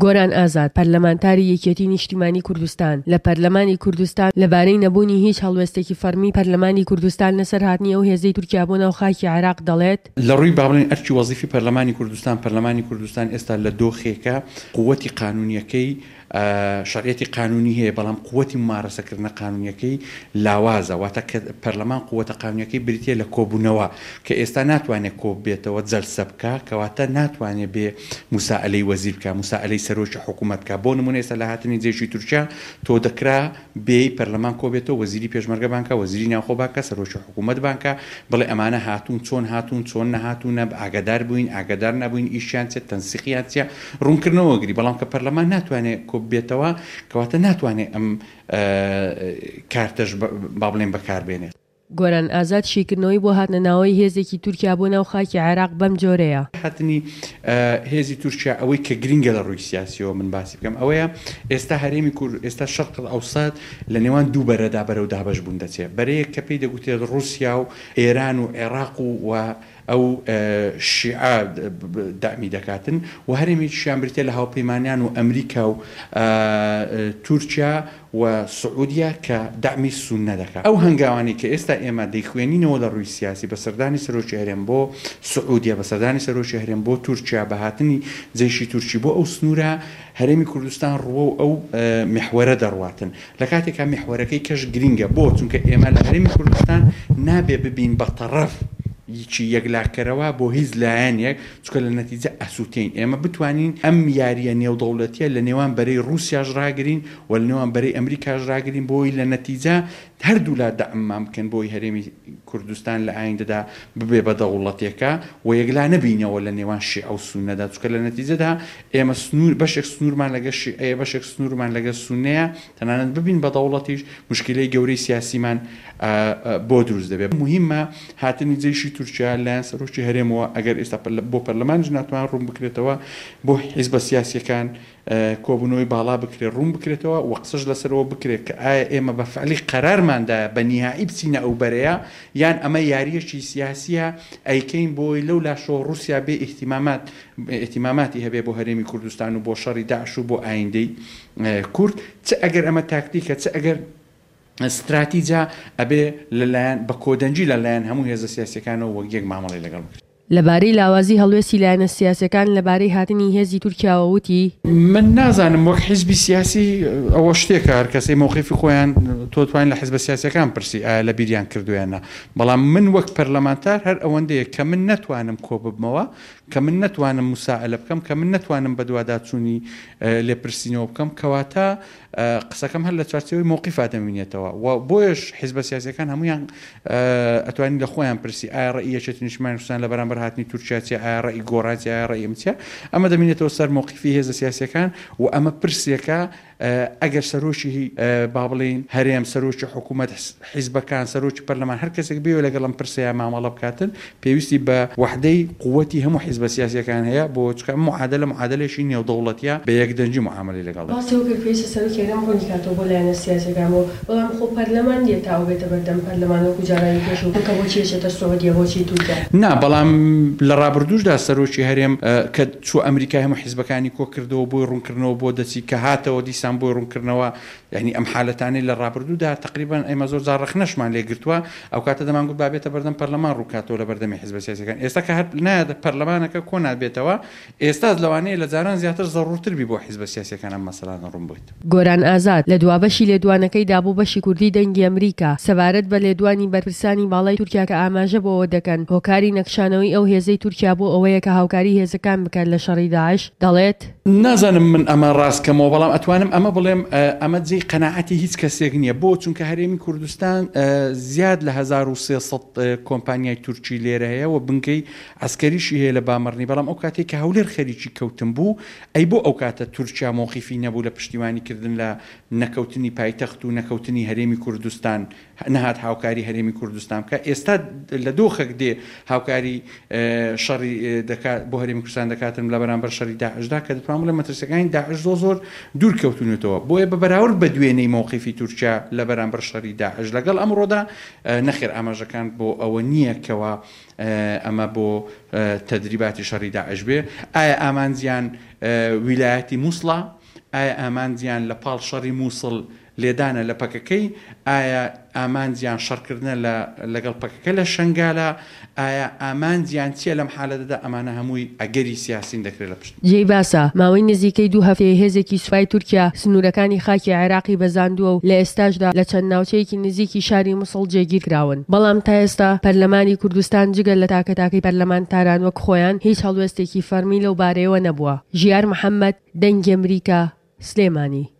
گۆران ئازاد، پەرلەمانتاری یەکێتی نیشتیمانی کوردستان لە پەرلەمانی کوردستان لەبارەی نەبوونی هیچ هەڵوێستێکی فەڕمی پەرلەمانی کوردستان لەسەر هاتنی ئەو هێزەی تورکیا بۆ ناو خاکی عێراق دەڵێت، لە ڕووی با بڵێین ئەرکی وەزیفی پەرلەمانی کوردستان، پەرلەمانی کوردستان ئێستا لە دۆخێکە قووەتی قانوونییەکەی شەرعیەتی قانوونی هەیە، بەڵام قووەتی مومارەسەکردنە قانوونییەکەی لاوازە، واتە کە پەرلەمان قووەتە قانوونییەکەی بریتییە لە کۆبوونەوە، کە ئێستا ناتوانێ کۆببێتەوە جەلسە بکا، کەواتە ناتوانێ بێ موسائەلەی وەزیر بکا، موسائەلەی سەرۆکی حکوومەت بکا، بۆ نموونە ئێستا لە هاتنی جەیشی تورکیا تۆ دەکرا بێی پەرلەمان کۆبێتەوە وەزیری پێشمەرگە بانگ کا، وەزیری ناوخۆ بانگ کا، سەرۆکی حکوومەت بانگ کا، بڵێ ئەمانە هاتوون، چۆن هاتوون، چۆن نەهاتوونە، ئاگادار بووین، ئاگادار نەبووین، ئیشیان چیە، تەنسیقیان چیە، ڕوونکردنەوە گری، بەڵام کە پەرلەمان ناتوانێ کۆببێتەوە، کەواتە ناتوانێ ئەم کارتەش با بڵێین بەکار بێنێت. گۆران ئازاد شیکردنەوەی بۆ هاتنە ناوەی هێزێکی تورکیا بۆ ناو خاکی عێراق بەم جۆرەیە. هاتنی هێزی تورکیا ئەوەی کە گرینگە لە ڕووی سیاسیەوە من باسی بکەم ئەوەیە ئێستا هەرێمی کور ئێستا شەرق ئەوسەت لە نێوان دوو بەرەدا بەرەو دابەش بوون دەچێ بەرەیەک کە پێی دەگوترێت ڕووسیا و ئێران و عێراق و و ئەو شیعە دەعمی دەکاتن و هەرێمێکیشیان بریتیە لە هاوپەیمانان و ئەمریکا و تورکیا و سعودیە کە دەعمی سوننە دەکات. ئەو هەنگاوانەی کە ئێستا ئێمە دەیخوێنینەوە لە ڕووی سیاسی بە سەردانی سەرۆکی هەرێم بۆ سعودیە، بە سەردانی سەرۆکی هەرێم بۆ تورکیا، بە هاتنی جەیشی تورکی بۆ ئەو سنوورە، هەرێمی کوردستان ڕووەو ئەو میحوەرە دەڕواتن. لە کاتێکا میحوەرەکەی کەش گرینگە. بۆ؟ چونکە ئێمە لە هەرێمی کوردستان نابێ ببین بە تەڕەف ی یەکلاکەرەوە بۆ هیچ لایەنێک، چونکە لە نەتیجە ئەسووتێین. ئێمە بتوانین ئەم یارییە نێودەوڵەتییە لە نێوان بەرەی ڕووسیاش ڕاگرین و لە نێوان بەرەی ئەمریکاش ڕاگرین بۆی لە نەتیجە هەردوولا دەعممان بکەن بۆی هەرێمی کوردستان لە ئایندەدا ببێ بە دەوڵەتێکە و یەکلا نەبینەوە لە نێوان شیعە و سوننەدا چونکە لە نەتیجەدا ئێمە سنوور بەشێک سنوورمان لەگەر شیعەیە بەشێک سنوورمان لەگەر سوننەیە تەنانەت ببین بە دەوڵەتیش موشکیلەی گەورەی سیاسیمان بۆ دروست دەبێت موهیمە هاتنی جەیشی تورکیا لایەن سەرۆکی هەرێمەوە ئەگەر ئێستا بۆ پەرلەمانیش ناتوان ڕوون بکرێتەوە بۆ حیزبە سیاسیەکان کۆبوونەوەی باڵا بکرێت ڕوون بکرێتەوە و قسەش لەسەرەوە بکرێت کە ئایا ئێمە بە فعلی قەرارمان دایە بە نیهائی بچینە ئەو بەرەیە یان ئەمە یاریەکی سیاسیە ئەیکەین بۆی لەو لاشەوە ڕوسیا بێ ئیهتیمامات ئیهتیماماتی هەبێ بۆ هەرێمی کوردستان و بۆ شەڕی داعش و بۆ ئایندەی کورد چ ئەگەر ئەمە تاکتیکە چ ئەگەر ستراتیجە ئەبێ لەلایەن بە کۆدەنگی لەلایەن هەموو هێزە سیاسیەکانەوە وەک یەک مامەڵەی لەگەڵ بکرێت. لەبارەی لاوازی هەڵوێستی لایەنە سیاسیەکان لەبارەی هاتنی هێزی تورکیاوە وتی، من نازانم وەک حیزبی سیاسی ئەوە شتێکە هەر کەسەی مەوقیفی خۆیان تۆ توانی لە حیزبە سیاسیەکان پرسی ئایا لە بیریان کردوە یان نا بەڵام من وەک پەرلەمانتار هەر ئەوەندەیە کە من نەتوانم کۆببمەوە کە من نەتوانم موسائەلە بکەم کە من نەتوانم بەدواداچوونی لێپرسینەوە بکەم کەواتە قسەکەم هەر لە چوارچێوەی مەوقیفا دەمینێتەوە و بۆیەش حیزبە سیاسیەکان هەموویان ئەتوانی لە خۆیان پرسی ئایا ڕەئی یەکێتی نیشتمانی کوردستان لە بەرامبەر هاتنی تورکیا چیە ئایا ڕەئی گۆڕان چیە ئایا ڕەئی ئەم چیە ئەمە دەمینێتەوە سەر مەوقیفی هێزە سیاسیەکان و ئەمە پرسێکە ئەگەر سەرۆکی با بڵێین هەرێم سەرۆکی حکوومەت حیزبەکان سەرۆکی پەرلەمان هەر کەسێک بێ لەگەڵ ئەم پرسەیە مامەڵە بکاتن پێویستی بە وەحدەی قوتی هەموو حیزبە سیاسیەکان هەیە بۆ چونکە ئەم معادلە معادلەیەکی نێودەوڵەتیە بە یەکدەنگی معامەلەی لەگەڵ دەکرێت. باسی ئەوە کرد پێویستە سەرۆکی هەرێم ڕوونی کاتەوە بۆ لایەنە سیاسیەکان بۆ بەڵام خۆ پەرلەمان نیە تا ئەو بێتە بەردەم پەرلەمان وەکو جارانی پێشوو کە بۆچی ئەچێتە سعودیە بۆچی تورکیا. نا بەڵام لە ڕابردووشدا سەرۆکی هەرێم کە چووە ئەمریکا هەموو حیزبەکانی کۆکردەوە بۆی ڕوونکردنەوە بۆ دەچی کە هاتەوە دیسان بۆی ڕوونکردنەوە یانی ئەم حالەتانەی لە ڕابردوودا تەقریبەن ئێمە زۆر جار ڕەخنەشمان لێ گرتووە، ئەوکاتە دەمانگوت با بێتە بەردەم پەرلەمان ڕووکاتەوە لە بەردەمی حیزبە سیاسیەکان، ئێستا کە هەر نایەتە پەرلەمانەکە کۆ نابێتەوە، ئێستا لەوانەیە لە جاران زیاتر زەڕوورتر بی بۆ حیزبە سیاسیەکان ئەم مەسەلانە ڕوون بێت. گۆران ئازاد، لە دوا بەشی لێدوانەکەیدا بۆ بەشی کوردی دەنگی ئەمریکا، سەبارەت بە لێدوانی بەرپرسانی باڵای تورکیا کە ئاماژە بەوە دەکەن هۆکاری نەکشانەوەی ئەو هێزەی تورکیا بۆ ئەوەیە کە هاوکاری هێزەکان بکات لە شەڕی داعش، دەڵێت. نازانم من ئەمە ڕاست کەمەوە بەڵام ئەتوانم ئەمە بڵێم ئەمە جێی قەناعەتی هیچ کەسێک نییە بۆ چونکە هەرێمی کوردستان زیاد لە 1300 کۆمپانیای تورکی لێرە هەیە و بنکەی عسکەریشی هەیە لە بامەڕنی بەڵام ئەو کاتێک کە هەولێر خەریکی کەوتن بوو ئەی بۆ ئەو کاتە تورکیا مۆقیفی نەبوو لە پشتیوانی کردن لە نەکەوتنی پایتەخت و نەکەوتنی هەرێمی کوردستان نەهات هاوکاری هەرێمی کوردستان بکات، ئێستا لە دۆخێک دێ هاوکاری شەڕی دەکات بۆ هەرێمی کوردستان دەکاتن لە بەرامبەر شەڕی داعشدا کە دەتوانم بڵێم مەترسیەکانی داعش زۆر زۆر دوور کەوتون. کردوونەتەوە. بۆیە بە بەراورد بە دوێنێی مەوقیفی تورکیا لە بەرامبەر شەڕی داعش لەگەڵ ئەمڕۆدا، نەخێر ئاماژەکان بۆ ئەوە نییە کەوا ئەمە بۆ تەدریباتی شەڕی داعش بێ. ئایا ئامانجیان ویلایەتی موسڵە؟ ئایا ئامانجیان لە پاڵ شەڕی موسڵ لێدانە لە پەکەکەی؟ ئایا ئامانجیان شەڕکردنە لە لەگەڵ پەکەکە لە شەنگالە؟ ئایا ئامانجیان چیە لەم حالەتەدا؟ ئەمانە هەمووی ئەگەری سیاسین دەکرێت لە پشت. جێی باسە، ماوەی نزیکەی دوو هەفتەیە هێزێکی سوپای تورکیا سنوورەکانی خاکی عێراقی بەزاندووە و لە ئێستاشدا لە چەند ناوچەیەکی نزیکی شاری موسڵ جێگیر کراون، بەڵام تا ئێستا پەرلەمانی کوردستان جگە لە تاکە تاکەی پەرلەمانتاران وەک خۆیان هیچ هەڵوێستێکی فەڕمی لەو بارەیەوە نەبووە. ژیار محەمەد، دەنگی ئەمریکا، سلێمانی.